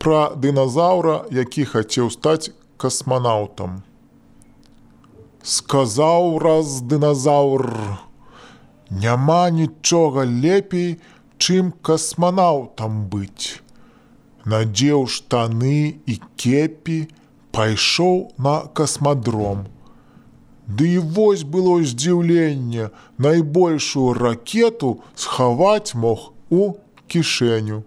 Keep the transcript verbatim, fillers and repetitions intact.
пра дыназаўра, які хацеў стаць касманаўтам. Сказаў раз дыназаўр: «Няма нічога лепей, чым касманаўтам быць». Надзеў штаны і кепі, пайшоў на касмадром. Ды і вось было здзіўленне, найбольшую ракету схаваць мог у кішэню.